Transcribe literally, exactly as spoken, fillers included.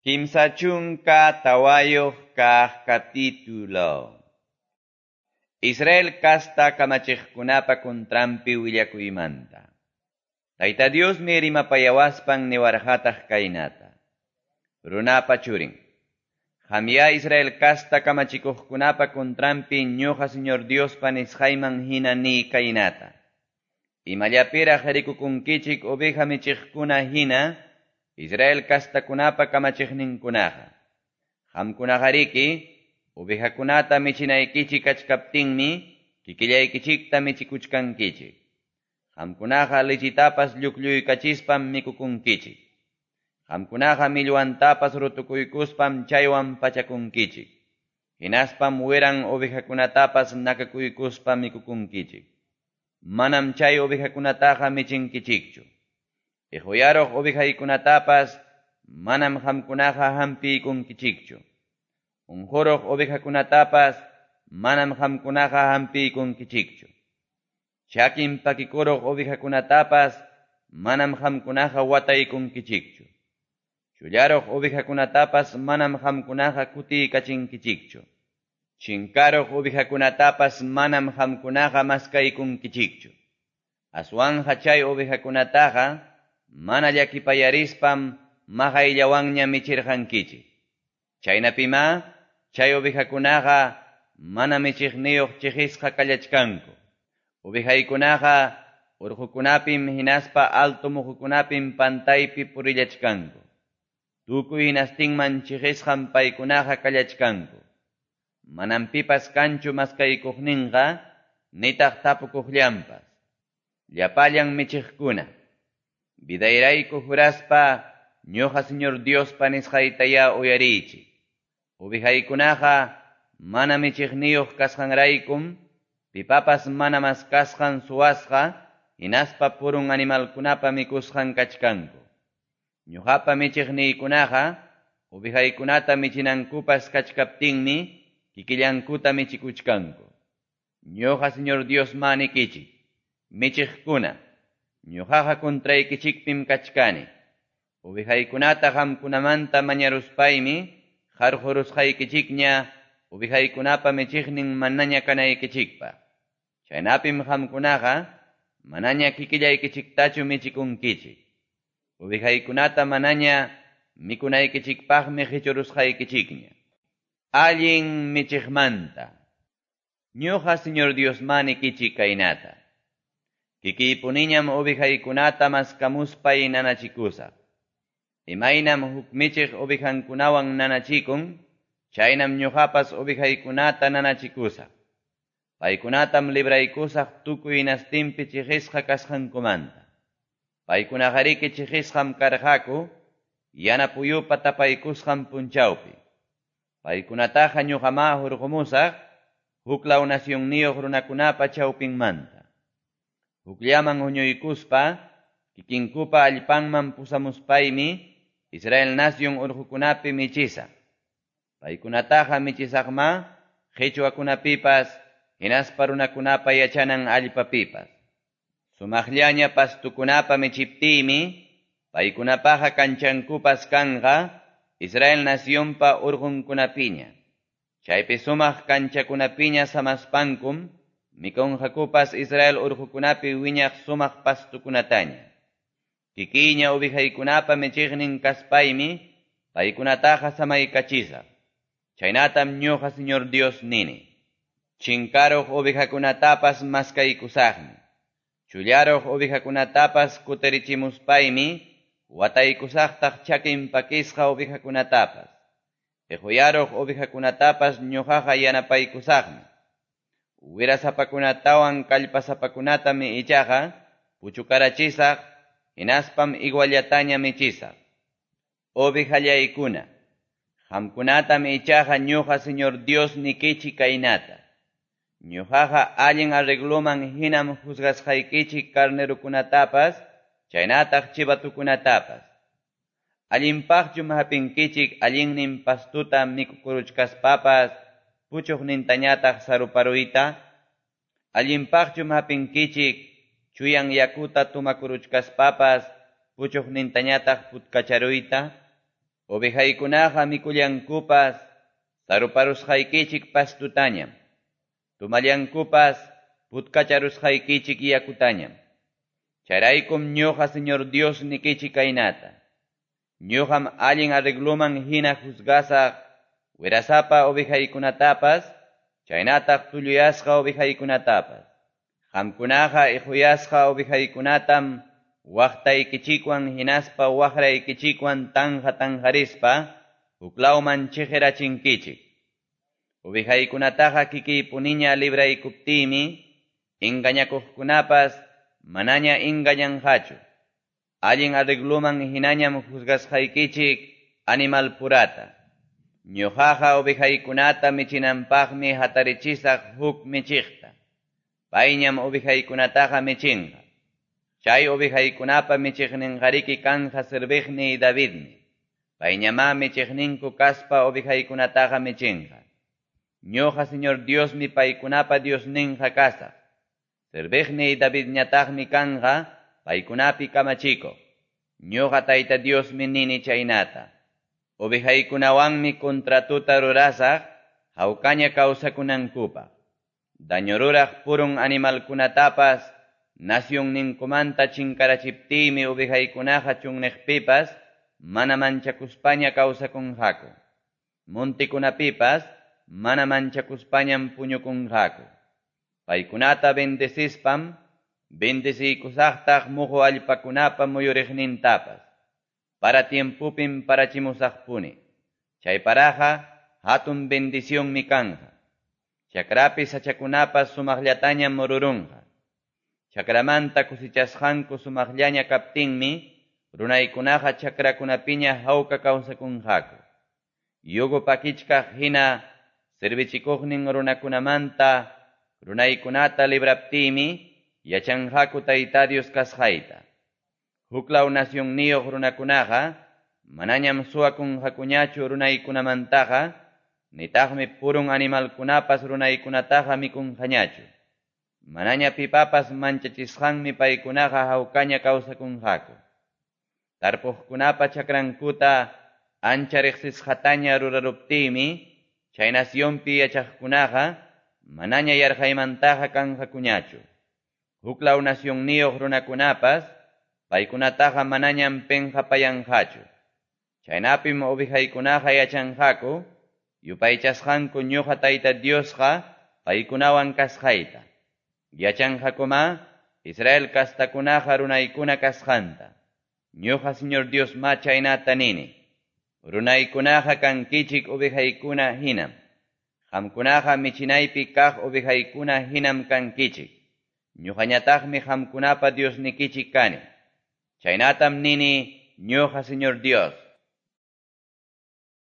Kimsa chunka tawayuq kaq capítulo. Israel kasta kamachiqkunapa kuntranpi willakuymanta. Tayta Diosmi rimapayawaspan niwarqataq kaynata. Runapa churin. Qamya Israel kasta kamachikuqkunapa kuntranpi ñuqa Señor Diospa nisqayman hina ni kaynata. Imallapiraq rikukunkichik oveja michiqkuna hina Israel kastakunapa kamachiqninkunaqa. Qamkunaqariki ovejakunata michinaykichik kachkaptinmi kikillaykichikta michikuchkankichik. Qamkunaqa lichitapas lluklluykachispam mikukunkichik. Qamkunaqa millwantapas rutukuykuspam chaywan pachakunkichik. Hinaspam wiran ovejakunatapas nakakuykuspa mikukunkichik. Manam chay ovejakunataqa michinkichikchu. Ihuyaruq ovejaykunatapas manam qamkunaqa hampiykunkichikchu. Unquruq ovejakunatapas manam qamkunaqa hampiykunkichikchu. Chakin pakikuruq ovejakunatapas manam qamkunaqa wataykunkichikchu. Chullaruq ovejakunatapas manam qamkunaqa kutiykachinkichikchu. Chinkaruq ovejakunatapas manam qamkunaqa maskaykunkichikchu. Aswanja chay ovejakunataqa mana llakipayarispam maqayllawanña michirqankichik. Chaynapima chay ovejakunaqa mana michiqniyuq chiqisqa kallachkanku. Ovejaykunaqa urqukunapim hinaspa alto muhukunapim pantaypi purillachkanku. Tukuy hinastinman chiqisqam paykunaqa kallachkanku. Manam pipas kanchu maskaykuqninqa nitaq tapukuqllanpas. Llapallan michiqkuna vidayrayku juraspa ñuqa Señor Diospa nisqaytaya uyariychik. Ovejaykunaqa mana michiqniyuq kasqanraykum pipapas mana maskasqan suwasqa hinaspa purun animalkunapa mikusqan kachkanku. Ñuqapa michiqniykunaqa ovejaykunata michinankupas kachkaptinmi kikillankuta michikuchkanku. Ñuqa Señor Diosma nikichik, michiqkuna, ñuqaqa kuntraykichikpim kachkani. Ovejaykunata qamkunamanta mañaruspaymi qarqurusqaykichikña ovejaykunapa michiqnin manaña kanaykichikpa. Chaynapim qamkunaqa manaña kikillaykichiktachu michikunkichik. Ovejaykunata manaña mikunaykichikpaqmi qichurusqaykichikña. Allin michiqmanta. Ñuqa Señor Diosma nikichik kaynata. Kikiypuniñam ovejaykunata maskamuspay nanachikusaq. Imaynam huk michiq ovejankunawan nanachikun, chaynam ñuqapas ovejaykunata nanachikusaq. Paykunatam libraykusaq tukuy hinastinpi chiqisqa kasqankumanta. Paykunaqariki chiqisqam karqaku, yana puyupa tapaykusqan punchawpi. Paykunataqa ñuqama hurqumusaq, huklaw nacionniyuq runakunapa chawpinmanta. Hukllaman huñuykuspa, kikinkupa allpanman pusamuspaymi, Israel nacion urqukunapi michisaq. Paykunataqa michisaqma, qichwakunapipas, hinaspa runakunapa yachanan allpapipas. Sumaqllaña pastukunapa michiptiymi, paykunapaqa kanchankupas kanqa, Israel nacionpa urqunkunapiña. Chaypi sumaq kanchakunapiña samaspankum, mikunqakupas Israel urqukunapi wiñaq sumaq pastukunataña. Kikiña ovejaykunapa michiqnin kaspaymi, paykunataqa samaykachisaq. Chaynatam ñuqa Señor Dios nini. Chinkaruq ovejakunatapas maskaykusaqmi. Chullaruq ovejakunatapas kutirichimuspaymi, wataykusaqtaq chakin pakisqa ovejakunatapas. Ihuyaruq ovejakunatapas ñuqaqa yanapaykusaqmi. Wirasapakunatawan kallpasapakunatami ichaqa puchukarachisaq, hinaspam iguallataña michisaq. Ovejallaykuna, qamkunatam ichaqa ñuqa Señor Dios nikichik kaynata. Ñuqaqa allin arregloman hinam juzgasqaykichik carnerukunatapas, chaynataq chivatukunatapas. Allinpaqchum hapinkichik allinnin pastuta mikukuruchkaspapas, puchuqnintañataq saruparuyta. Allinpaqchum hapinkichik chuyan yakuta tumakuruchkaspapas, puchuqnintañataq putkacharuyta. Ovejaykunaqa mikullankupas saruparusqaykichik pastutañam. Tomallankupas putkacharusqaykichik yakutañam. Chayraykum ñuqa Señor Dios nikichik kaynata. Ñuqam allin arregloman hina juzgasaq wirasapa ovejaykunatapas, chaynataq tulluyasqa ovejaykunatapas. Qamkunaqa iquyasqa ovejaykunatam waqtaykichikwan hinaspa waqraykichikwan tanja tanjarispa huklawman chiqirachinkichik. Ovejaykunataqa kikiypuniña libraykuptiymi engañakuqkunapas manaña engañanqachu. Allin arregloman hinañam juzgasqaykichik animal purata. Ñuqaqa ovejaykunata michinanpaqmi hatarichisaq huk michiqta. Payñam ovejaykunataqa michinqa. Chay ovejaykunapa michiqninqariki kanja serviqniy Davidmi. Payñamá michiqninku kaspa ovejaykunataqa michinqa. Ñuqa Señor Diosmi paykunapa Diosninqa kasaq. Serviqniy Davidñataqmi kanja paykunapi kamachikuq. Ñuqa Tayta Diosmi nini chaynata. Ovejaykunawanmi contratuta rurasaq hawkaña kawsakunankupaq. Daño ruraq purun animalkunatapas nacionninkumanta chinkarachiptiymi ovejaykunaqa chunniqpipas mana manchakuspaña kawsakunqaku. Montikunapipas mana manchakuspañam puñukunqaku. Paykunata bendecispam bendeciykusaqtaq muhu allpakunapa muyuriqnintapas. Para tiempupim parachimusaqpuni. Chay paraqa hatun bendicionmi kanja. Chakrapi sachakunapas sumaqllatañam mururunqa. Chakramanta cosechasqanku sumaqllaña kaptinmi runaykunaqa chakrakunapiña hawka kawsakunqaku. Yugo pakichkaq hina servichikuqnin runakunamanta runaykunata libraptiymi yachanqaku Tayta Dios kasqayta. Huklaw nacionniyuq runakunaqa manañam suwakunqakuñachu runaykunamantaqa, nitaqmi purun animalkunapas runaykunataqa mikunqañachu. Manaña pipapas manchachisqanmi paykunaqa hawkaña kawsakunqaku. Tarpuqkunapa chakrankuta ancha riqsisqataña ruraruptiymi chay nacionpi yachaqkunaqa manaña yarqaymantaqa kanqakuñachu. Huklaw nacionniyuq runakunapas paykunataqa manañam penqapayanqachu. Chaynapim ovejaykunaqa yachanqaku yupaychasqanku ñuqa Tayta Diosqa paykunawan kasqayta. Yachanqakuma Israel kastakunaqa runaykuna kasqanta. Ñuqa Señor Dios ma chaynata nini. Runaykunaqa kankichik ovejaykuna hinam. Qamkunaqa michinaypi kaq ovejaykuna hinam kankichik. Ñuqañataqmi qamkunapa Diosnikichik kani. Chaynatam nini ñuqa Señor Dios.